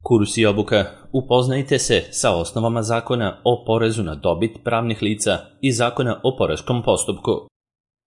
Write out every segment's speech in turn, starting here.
Kurs i obuka. Upoznajte se sa osnovama zakona o porezu na dobit pravnih lica i zakona o poreskom postupku.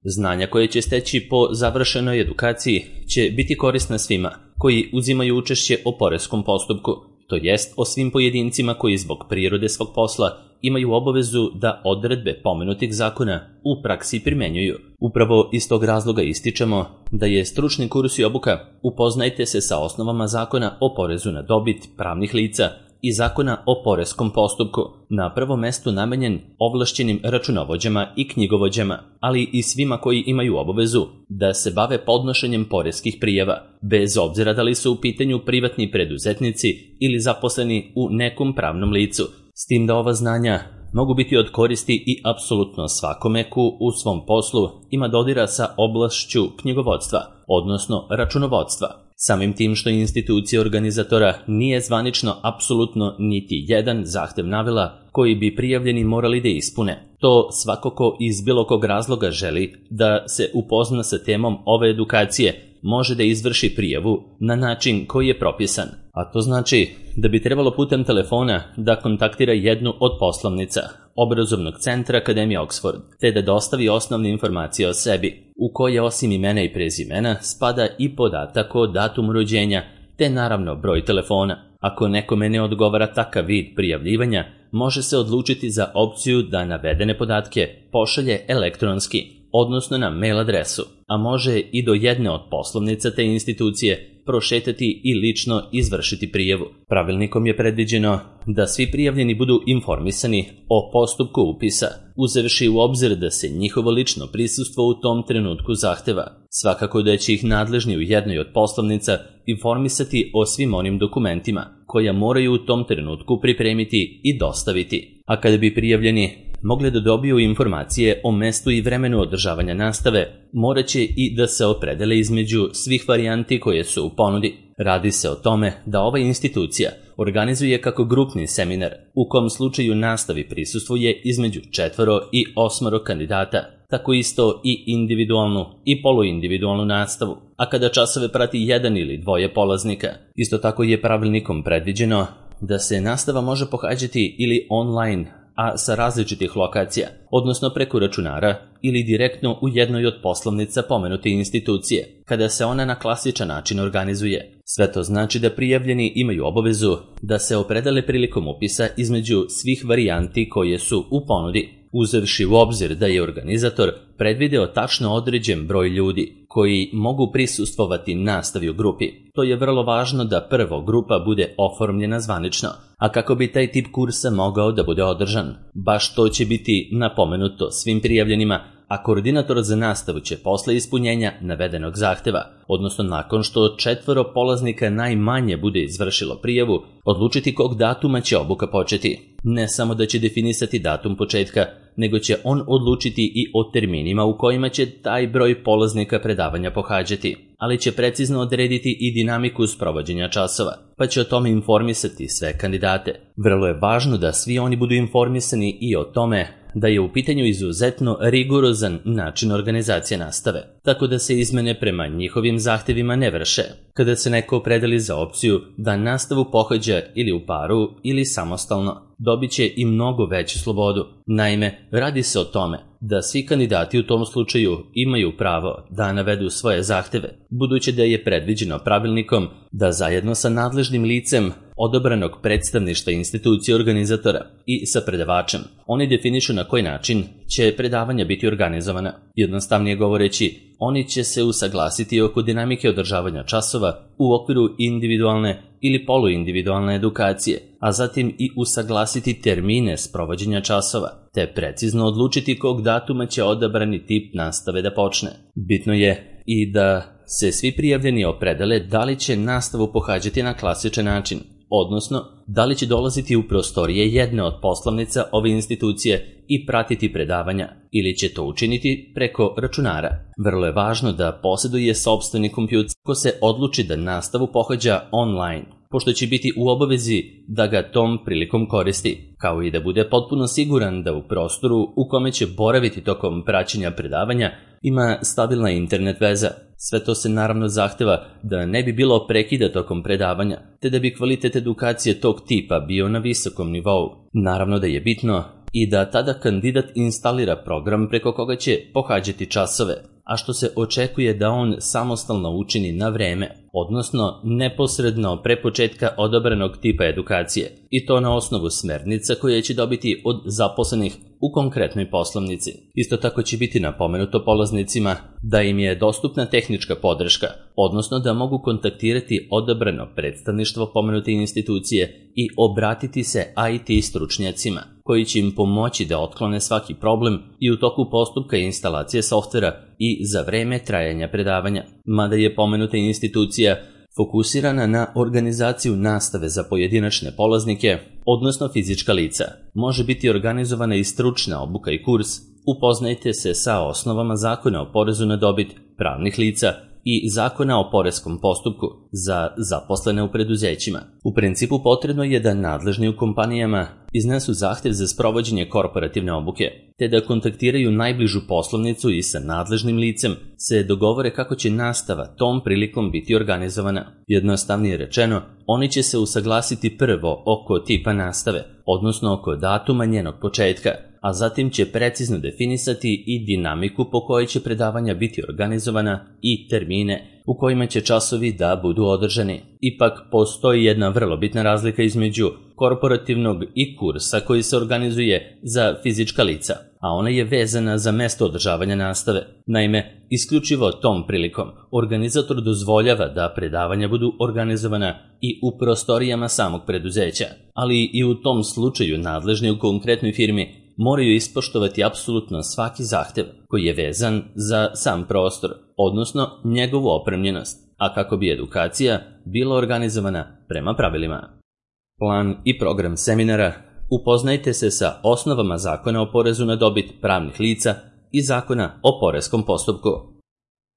Znanja koje će steći po završenoj edukaciji će biti korisna svima koji uzimaju učešće o poreskom postupku, to jest o svim pojedincima koji zbog prirode svog posla imaju obavezu da odredbe pomenutih zakona u praksi primenjuju. Upravo iz tog razloga ističemo da je stručni kurs i obuka Upoznajte se sa osnovama zakona o porezu na dobit pravnih lica i zakona o poreskom postupku na prvom mestu namenjen ovlašćenim računovođama i knjigovođama, ali i svima koji imaju obavezu da se bave podnošenjem poreskih prijava, bez obzira da li su u pitanju privatni preduzetnici ili zaposleni u nekom pravnom licu, s tim da ova znanja mogu biti od koristi i apsolutno svakome ko u svom poslu ima dodira sa oblašću knjigovodstva, odnosno računovodstva. Samim tim što institucija organizatora nije zvanično apsolutno niti jedan zahtev navela koji bi prijavljeni morali da ispune. To svako ko iz bilo kog razloga želi da se upozna sa temom ove edukacije može da izvrši prijavu na način koji je propisan. A to znači da bi trebalo putem telefona da kontaktira jednu od poslovnica obrazovnog centra Akademije Oxford, te da dostavi osnovne informacije o sebi, u koje osim imena i prezimena spada i podatak o datumu rođenja, te naravno broj telefona. Ako nekome ne odgovara takav vid prijavljivanja, može se odlučiti za opciju da navedene podatke pošalje elektronski, odnosno na mail adresu, a može i do jedne od poslovnica te institucije prošetati i lično izvršiti prijavu. Pravilnikom je predviđeno da svi prijavljeni budu informisani o postupku upisa, uzevši u obzir da se njihovo lično prisustvo u tom trenutku zahteva. Svakako da će ih nadležni u jednoj od poslovnica informisati o svim onim dokumentima koja moraju u tom trenutku pripremiti i dostaviti. A kada bi prijavljeni mogli da dobiju informacije o mestu i vremenu održavanja nastave, morat će i da se opredele između svih varijanti koje su u ponudi. Radi se o tome da ova institucija organizuje kako grupni seminar, u kom slučaju nastavi prisustvuje između 4 i 8 kandidata, tako isto i individualnu i poluindividualnu nastavu, a kada časove prati 1 ili 2 polaznika. Isto tako je pravilnikom predviđeno da se nastava može pohađati ili online, a sa različitih lokacija, odnosno preko računara ili direktno u jednoj od poslovnica pomenute institucije, kada se ona na klasičan način organizuje. Sve to znači da prijavljeni imaju obavezu da se opredele prilikom upisa između svih varijanti koje su u ponudi, uzevši u obzir da je organizator predvideo tačno određen broj ljudi koji mogu prisustvovati nastavi u grupi. To je vrlo važno da prvo grupa bude oformljena zvanično, a kako bi taj tip kursa mogao da bude održan. Baš to će biti napomenuto svim prijavljenima, a koordinator za nastavu će posle ispunjenja navedenog zahteva, odnosno nakon što 4 polaznika najmanje bude izvršilo prijavu, odlučiti kog datuma će obuka početi. Ne samo da će definisati datum početka, nego će on odlučiti i o terminima u kojima će taj broj polaznika predavanja pohađati, ali će precizno odrediti i dinamiku sprovođenja časova, pa će o tome informisati sve kandidate. Vrlo je važno da svi oni budu informisani i o tome da je u pitanju izuzetno rigorozan način organizacije nastave, tako da se izmene prema njihovim zahtevima ne vrše. Kada se neko opredeli za opciju da nastavu pohađa ili u paru ili samostalno, dobit će i mnogo veću slobodu. Naime, radi se o tome da svi kandidati u tom slučaju imaju pravo da navedu svoje zahteve, budući da je predviđeno pravilnikom da zajedno sa nadležnim licem odabranog predstavništva institucije organizatora i sa predavačem oni definišu na koji način će predavanja biti organizovana. Jednostavnije govoreći, oni će se usaglasiti oko dinamike održavanja časova u okviru individualne ili poluindividualne edukacije, a zatim i usaglasiti termine sprovođenja časova, te precizno odlučiti kog datuma će odabrani tip nastave da počne. Bitno je i da se svi prijavljeni opredele da li će nastavu pohađati na klasičan način, odnosno da li će dolaziti u prostorije jedne od poslovnica ove institucije i pratiti predavanja, ili će to učiniti preko računara. Vrlo je važno da posjeduje sopstveni kompjuter ko se odluči da nastavu pohađa online, pošto će biti u obavezi da ga tom prilikom koristi, kao i da bude potpuno siguran da u prostoru u kome će boraviti tokom praćenja predavanja ima stabilna internet veza. Sve to se naravno zahteva da ne bi bilo prekida tokom predavanja, te da bi kvalitet edukacije tog tipa bio na visokom nivou. Naravno da je bitno i da tada kandidat instalira program preko koga će pohađati časove, a što se očekuje da on samostalno učini na vreme, odnosno neposredno pre početka odabranog tipa edukacije, i to na osnovu smernica koje će dobiti od zaposlenih u konkretnoj poslovnici. Isto tako će biti napomenuto polaznicima da im je dostupna tehnička podrška, odnosno da mogu kontaktirati odabrano predstavništvo pomenute institucije i obratiti se IT stručnjacima, koji će im pomoći da otklone svaki problem i u toku postupka instalacije softvera i za vreme trajanja predavanja. Mada je pomenuta institucija fokusirana na organizaciju nastave za pojedinačne polaznike, odnosno fizička lica, može biti organizovana i stručna obuka i kurs Upoznajte se sa osnovama Zakona o porezu na dobit pravnih lica i Zakona o poreskom postupku za zaposlene u preduzećima. U principu potrebno je da nadležni u kompanijama iznesu zahtev za sprovođenje korporativne obuke, te da kontaktiraju najbližu poslovnicu i sa nadležnim licem se dogovore kako će nastava tom prilikom biti organizovana. Jednostavnije rečeno, oni će se usaglasiti prvo oko tipa nastave, odnosno oko datuma njenog početka, a zatim će precizno definisati i dinamiku po kojoj će predavanja biti organizovana i termine u kojima će časovi da budu održani. Ipak postoji jedna vrlo bitna razlika između korporativnog i kursa koji se organizuje za fizička lica, a ona je vezana za mesto održavanja nastave. Naime, isključivo tom prilikom organizator dozvoljava da predavanja budu organizovana i u prostorijama samog preduzeća, ali i u tom slučaju nadležni u konkretnoj firmi moraju ispoštovati apsolutno svaki zahtev koji je vezan za sam prostor, odnosno njegovu opremljenost, a kako bi edukacija bila organizovana prema pravilima. Plan i program seminara: upoznajte se sa osnovama Zakona o porezu na dobit pravnih lica i Zakona o poreskom postupku.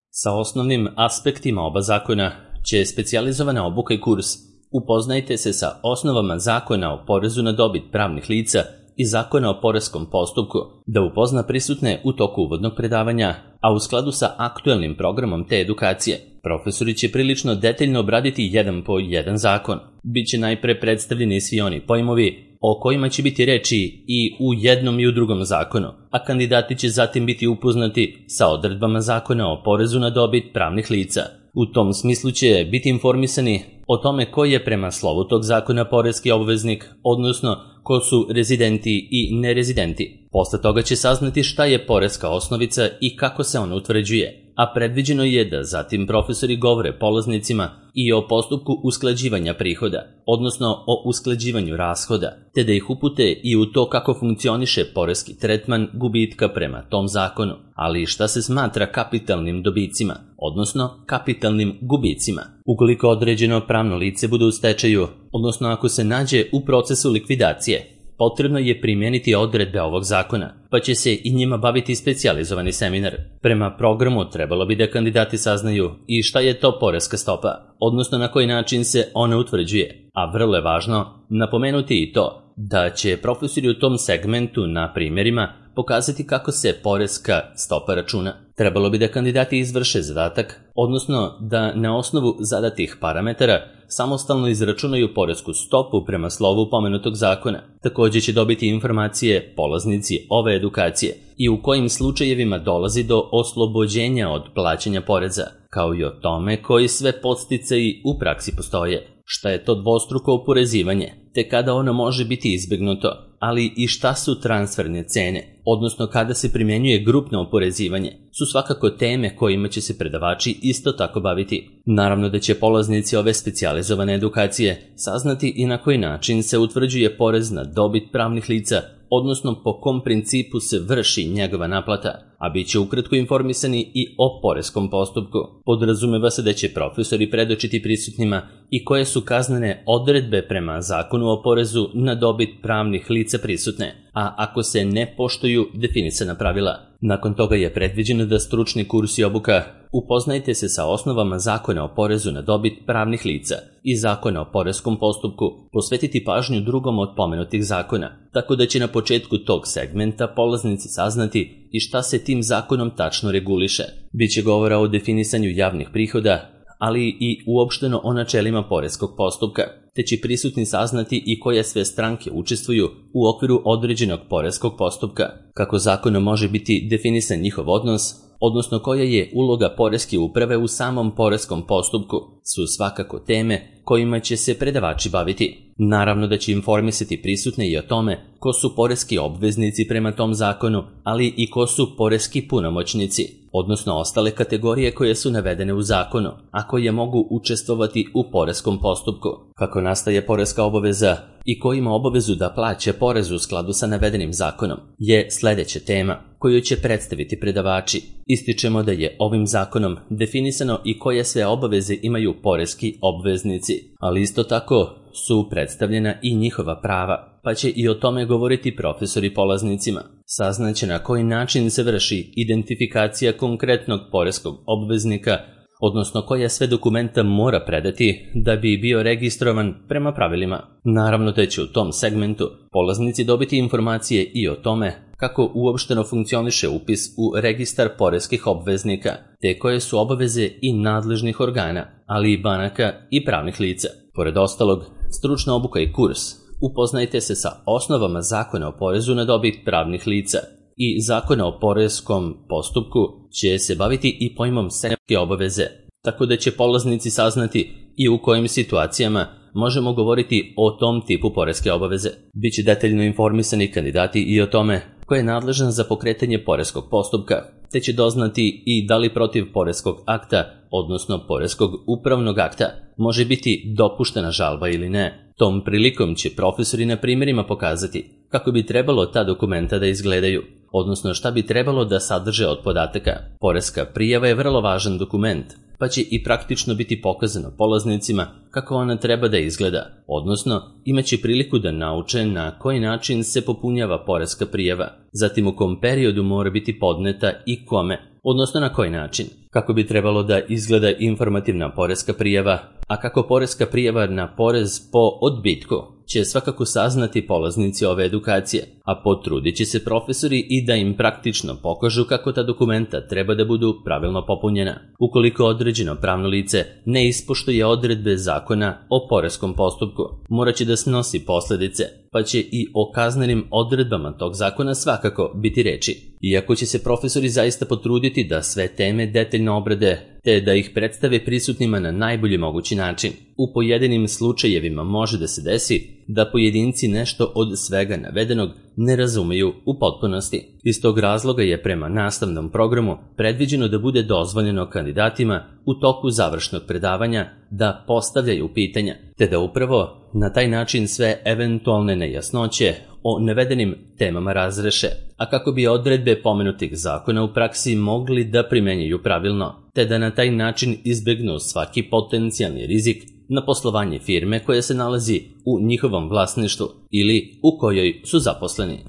Sa osnovnim aspektima oba zakona će specijalizovana obuka i kurs Upoznajte se sa osnovama Zakona o porezu na dobit pravnih lica i Zakona o poreskom postupku da upozna prisutne u toku uvodnog predavanja, a u skladu sa aktuelnim programom te edukacije, profesori će prilično detaljno obraditi jedan po jedan zakon. Biće najpre predstavljeni svi oni pojmovi o kojima će biti reči i u jednom i u drugom zakonu, a kandidati će zatim biti upoznati sa odredbama Zakona o porezu na dobit pravnih lica. U tom smislu će biti informisani o tome ko je prema slovu tog zakona poreski obveznik, odnosno ko su rezidenti i nerezidenti. Posle toga će saznati šta je poreska osnovica i kako se ona utvrđuje, a predviđeno je da zatim profesori govore polaznicima i o postupku usklađivanja prihoda, odnosno o usklađivanju rashoda, te da ih upute i u to kako funkcioniše poreski tretman gubitka prema tom zakonu, ali i šta se smatra kapitalnim dobicima, odnosno kapitalnim gubicima. Ukoliko određeno pravno lice bude u stečaju, odnosno ako se nađe u procesu likvidacije, potrebno je primijeniti odredbe ovog zakona, pa će se i njima baviti specijalizovani seminar. Prema programu trebalo bi da kandidati saznaju i šta je to poreska stopa, odnosno na koji način se ona utvrđuje, a vrlo je važno napomenuti i to da će profesori u tom segmentu na primjerima pokazati kako se poreska stopa računa. Trebalo bi da kandidati izvrše zadatak, odnosno da na osnovu zadatih parametara samostalno izračunaju poresku stopu prema slovu pomenutog zakona. Također će dobiti informacije polaznici ove edukacije i u kojim slučajevima dolazi do oslobođenja od plaćanja poreza, kao i o tome koji sve podsticaji u praksi postoje, šta je to dvostruko oporezivanje, te kada ono može biti izbjegnuto, ali i šta su transferne cene, odnosno kada se primjenjuje grupno oporezivanje, su svakako teme kojima će se predavači isto tako baviti. Naravno da će polaznici ove specijalizovane edukacije saznati i na koji način se utvrđuje porez na dobit pravnih lica, odnosno po kom principu se vrši njegova naplata, a bit će ukratko informisani i o poreskom postupku. Podrazumeva se da će profesori predočiti prisutnima i koje su kaznene odredbe prema Zakonu o porezu na dobit pravnih lica prisutne, a ako se ne poštuju definisana pravila. Nakon toga je predviđeno da stručni kurs i obuka upoznajte se sa osnovama Zakona o porezu na dobit pravnih lica i Zakona o poreskom postupku, posvetiti pažnju drugom od pomenutih zakona, tako da će na početku tog segmenta polaznici saznati i šta se tim zakonom tačno reguliše. Biće govora o definisanju javnih prihoda, ali i uopšteno o načelima poreskog postupka, te će prisutni saznati i koje sve stranke učestvuju u okviru određenog poreskog postupka, kako zakonom može biti definisan njihov odnos, odnosno koja je uloga poreske uprave u samom poreskom postupku, su svakako teme kojima će se predavači baviti. Naravno da će informisati prisutne i o tome ko su poreski obveznici prema tom zakonu, ali i ko su poreski punomoćnici, odnosno ostale kategorije koje su navedene u zakonu, a koje mogu učestvovati u poreskom postupku, kako nastaje poreska obaveza i ko ima obavezu da plaća porez u skladu sa navedenim zakonom, je sledeća tema koju će predstaviti predavači. Ističemo da je ovim zakonom definisano i koje sve obaveze imaju poreski obveznici, ali isto tako su predstavljena i njihova prava, pa će i o tome govoriti profesori polaznicima. Saznaće na koji način se vrši identifikacija konkretnog poreskog obveznika, odnosno koja sve dokumenta mora predati da bi bio registrovan prema pravilima. Naravno da će u tom segmentu polaznici dobiti informacije i o tome kako uopšteno funkcioniše upis u registar poreskih obveznika, te koje su obaveze i nadležnih organa, ali i banaka i pravnih lica. Pored ostalog, stručna obuka i kurs upoznajte se sa osnovama Zakona o porezu na dobit pravnih lica i Zakona o poreskom postupku će se baviti i pojmom sektorske obaveze, tako da će polaznici saznati i u kojim situacijama možemo govoriti o tom tipu poreske obaveze. Biće detaljno informisani kandidati i o tome ko je nadležan za pokretanje poreskog postupka, te će doznati i da li protiv poreskog akta, odnosno poreskog upravnog akta, može biti dopuštena žalba ili ne. Tom prilikom će profesori na primjerima pokazati kako bi trebalo ta dokumenta da izgledaju, odnosno šta bi trebalo da sadrže od podataka. Poreska prijava je vrlo važan dokument, pa će i praktično biti pokazano polaznicima kako ona treba da izgleda, odnosno imaće priliku da nauče na koji način se popunjava poreska prijava, zatim u kom periodu mora biti podneta i kome, odnosno na koji način, kako bi trebalo da izgleda informativna poreska prijava, a kako poreska prijava na porez po odbitku će svakako saznati polaznici ove edukacije, a potrudit će se profesori i da im praktično pokažu kako ta dokumenta treba da budu pravilno popunjena. Ukoliko određeno pravno lice ne ispoštuje odredbe Zakona o poreskom postupku, morat će da snosi posledice, pa će i o kaznenim odredbama tog zakona svakako biti reči. Iako će se profesori zaista potruditi da sve teme detaljno obrade, te da ih predstave prisutnima na najbolji mogući način, u pojedinim slučajevima može da se desi da pojedinci nešto od svega navedenog ne razumeju u potpunosti. Iz tog razloga je prema nastavnom programu predviđeno da bude dozvoljeno kandidatima u toku završnog predavanja da postavljaju pitanja, te da upravo na taj način sve eventualne nejasnoće o navedenim temama razreše, a kako bi odredbe pomenutih zakona u praksi mogli da primenjuju pravilno, te da na taj način izbegnu svaki potencijalni rizik na poslovanje firme koja se nalazi u njihovom vlasništvu ili u kojoj su zaposleni.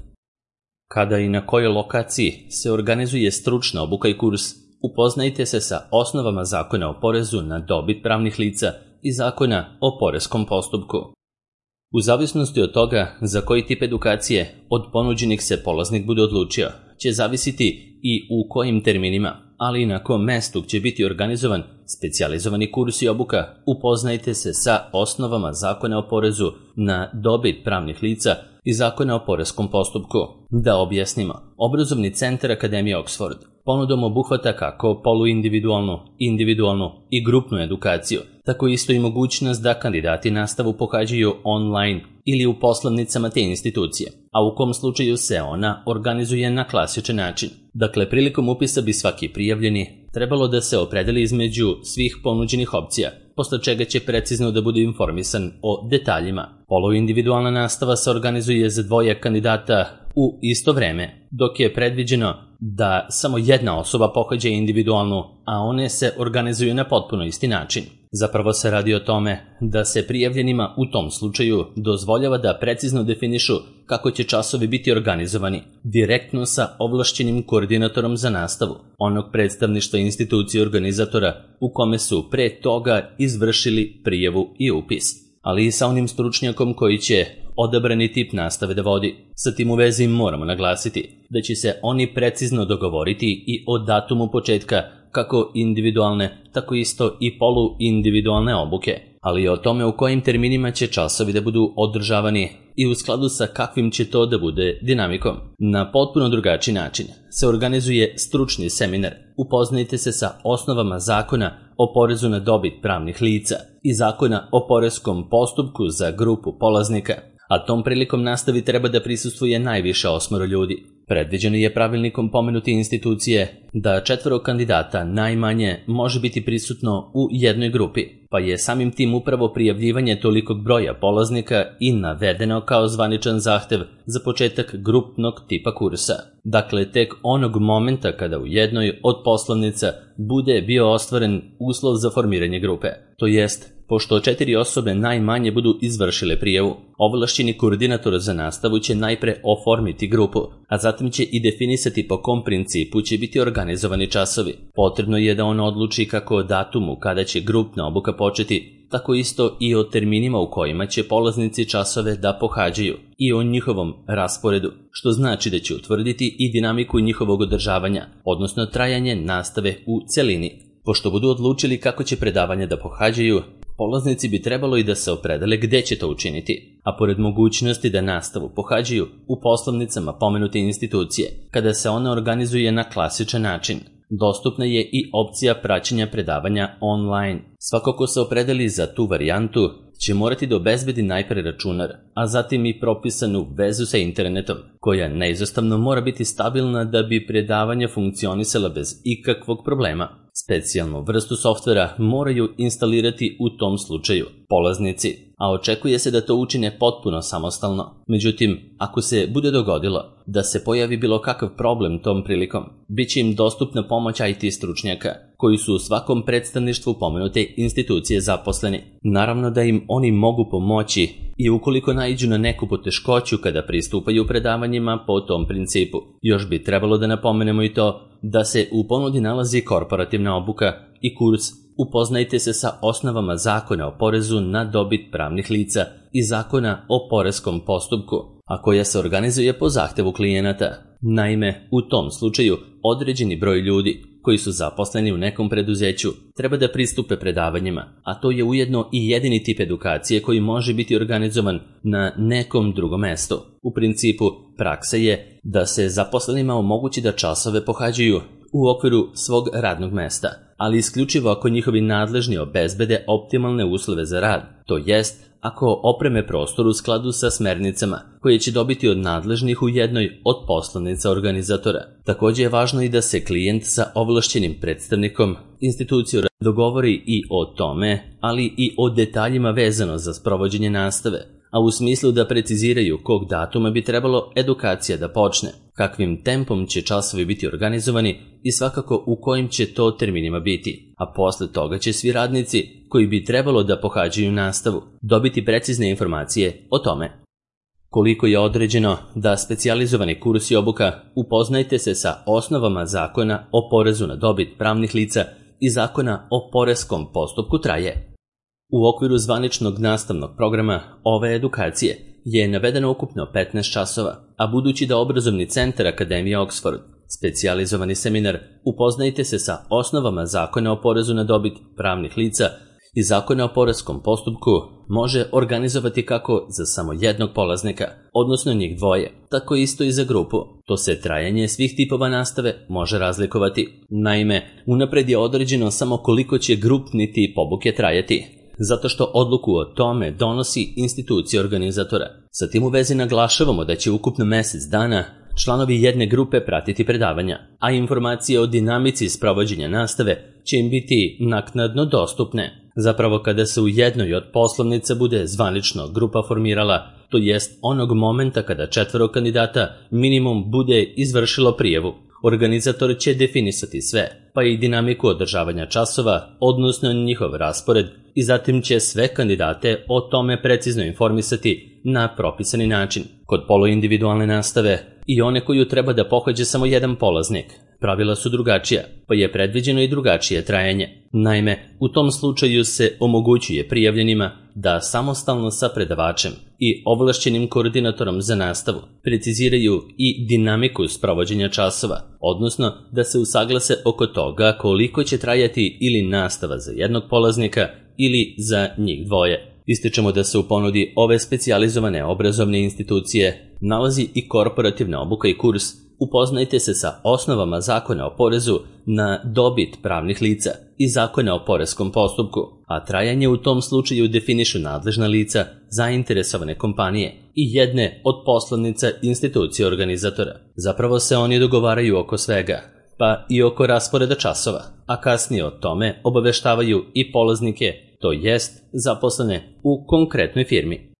Kada i na kojoj lokaciji se organizuje stručna obuka i kurs, upoznajte se sa osnovama Zakona o porezu na dobit pravnih lica i Zakona o poreskom postupku. U zavisnosti od toga za koji tip edukacije od ponuđenih se polaznik bude odlučio, će zavisiti i u kojim terminima, ali i na kom mestu će biti organizovan specijalizovani kurs i obuka. Upoznajte se sa osnovama Zakona o porezu na dobit pravnih lica i Zakona o poreskom postupku. Da objasnimo, obrazovni centar Akademije Oxford ponudom obuhvata kako poluindividualnu, individualnu i grupnu edukaciju, tako isto i mogućnost da kandidati nastavu pohađaju online ili u poslovnicama te institucije, a u kom slučaju se ona organizuje na klasičan način. Dakle, prilikom upisa bi svaki prijavljeni trebalo da se opredeli između svih ponuđenih opcija, posle čega će precizno da bude informisan o detaljima. Poluindividualna nastava se organizuje za dvoje kandidata u isto vreme, dok je predviđeno da samo jedna osoba pohađa individualnu, a one se organizuju na potpuno isti način. Zapravo se radi o tome da se prijavljenima u tom slučaju dozvoljava da precizno definišu kako će časovi biti organizovani, direktno sa ovlašćenim koordinatorom za nastavu, onog predstavništva institucije organizatora u kome su pre toga izvršili prijavu i upis, ali i sa onim stručnjakom koji će odabrani tip nastave da vodi. Sa tim u vezi moramo naglasiti da će se oni precizno dogovoriti i o datumu početka kako individualne, tako isto i poluindividualne obuke, ali i o tome u kojim terminima će časovi da budu održavani i u skladu sa kakvim će to da bude dinamikom. Na potpuno drugačiji način se organizuje stručni seminar. Upoznajte se sa osnovama zakona o porezu na dobit pravnih lica i zakona o poreskom postupku za grupu polaznika, a tom prilikom nastavi treba da prisustvuje najviše 8 ljudi. Predviđeno je pravilnikom pomenute institucije da 4 kandidata najmanje može biti prisutno u jednoj grupi, pa je samim tim upravo prijavljivanje tolikog broja polaznika i navedeno kao zvaničan zahtev za početak grupnog tipa kursa. Dakle, tek onog momenta kada u jednoj od poslovnica bude bio ostvaren uslov za formiranje grupe, to jest pošto 4 osobe najmanje budu izvršile prijavu, ovlašćeni koordinator za nastavu će najpre oformiti grupu, a zatim će i definisati po kom principu će biti organizovani časovi. Potrebno je da on odluči kako o datumu kada će grupna obuka početi, tako isto i o terminima u kojima će polaznici časove da pohađaju i o njihovom rasporedu, što znači da će utvrditi i dinamiku njihovog održavanja, odnosno trajanje nastave u celini. Pošto budu odlučili kako će predavanja da pohađaju, polaznici bi trebalo i da se opredele gde će to učiniti, a pored mogućnosti da nastavu pohađaju u poslovnicama pomenute institucije, kada se ona organizuje na klasičan način, dostupna je i opcija praćenja predavanja online. Svako ko se opredeli za tu varijantu će morati da obezbedi najpre računar, a zatim i propisanu vezu sa internetom, koja neizostavno mora biti stabilna da bi predavanja funkcionisala bez ikakvog problema. Specijalnu vrstu softvera moraju instalirati u tom slučaju polaznici, a očekuje se da to učine potpuno samostalno. Međutim, ako se bude dogodilo da se pojavi bilo kakav problem tom prilikom, bit će im dostupna pomoć IT stručnjaka, koji su u svakom predstavništvu pomenute institucije zaposleni. Naravno da im oni mogu pomoći i ukoliko naiđu na neku poteškoću kada pristupaju predavanjima po tom principu. Još bi trebalo da napomenemo i to da se u ponudi nalazi korporativna obuka i kurs Upoznajte se sa osnovama zakona o porezu na dobit pravnih lica i zakona o poreskom postupku, a koja se organizuje po zahtevu klijenata. Naime, u tom slučaju određeni broj ljudi koji su zaposleni u nekom preduzeću treba da pristupe predavanjima, a to je ujedno i jedini tip edukacije koji može biti organizovan na nekom drugom mestu. U principu, praksa je da se zaposlenima omogući da časove pohađaju u okviru svog radnog mesta, ali isključivo ako njihovi nadležni obezbede optimalne uslove za rad, to jest ako opreme prostor u skladu sa smernicama koje će dobiti od nadležnih u jednoj od poslovnica organizatora. Također je važno i da se klijent sa ovlašćenim predstavnikom institucije dogovori i o tome, ali i o detaljima vezano za sprovođenje nastave, a u smislu da preciziraju kog datuma bi trebalo edukacija da počne, kakvim tempom će časovi biti organizovani i svakako u kojim će to terminima biti, a posle toga će svi radnici koji bi trebalo da pohađaju nastavu dobiti precizne informacije o tome. Koliko je određeno da specijalizovani kurs i obuka upoznajte se sa osnovama zakona o porezu na dobit pravnih lica i zakona o poreskom postupku traje. U okviru zvaničnog nastavnog programa ove edukacije je navedeno ukupno 15 časova, a budući da obrazovni centar Akademije Oxford, specijalizovani seminar Upoznajte se sa osnovama zakona o porezu na dobit pravnih lica i zakona o poreskom postupku može organizovati kako za samo jednog polaznika, odnosno njih dvoje, tako isto i za grupu. To se trajanje svih tipova nastave može razlikovati. Naime, unapred je određeno samo koliko će grupni tip obuke trajati, zato što odluku o tome donosi institucija organizatora. Sa tim u vezi naglašavamo da će ukupno mjesec dana članovi jedne grupe pratiti predavanja, a informacije o dinamici sprovođenja nastave će im biti naknadno dostupne. Zapravo kada se u jednoj od poslovnica bude zvanično grupa formirala, to jest onog momenta kada 4 kandidata minimum bude izvršilo prijavu. Organizator će definisati sve, pa i dinamiku održavanja časova, odnosno njihov raspored, i zatim će sve kandidate o tome precizno informisati na propisani način. Kod poluindividualne nastave i one koju treba da pohađa samo jedan polaznik, pravila su drugačija, pa je predviđeno i drugačije trajanje. Naime, u tom slučaju se omogućuje prijavljenima da samostalno sa predavačem i ovlašćenim koordinatorom za nastavu preciziraju i dinamiku sprovođenja časova, odnosno da se usaglase oko toga koliko će trajati ili nastava za jednog polaznika ili za njih dvoje. Ističemo da se u ponudi ove specijalizovane obrazovne institucije nalazi i korporativna obuka i kurs Upoznajte se sa osnovama Zakona o porezu na dobit pravnih lica i Zakona o poreskom postupku, a trajanje u tom slučaju definišu nadležna lica, zainteresovane kompanije i jedne od poslovnica institucije organizatora. Zapravo se oni dogovaraju oko svega, pa i oko rasporeda časova, a kasnije o tome obaveštavaju i polaznike, to jest zaposlene u konkretnoj firmi.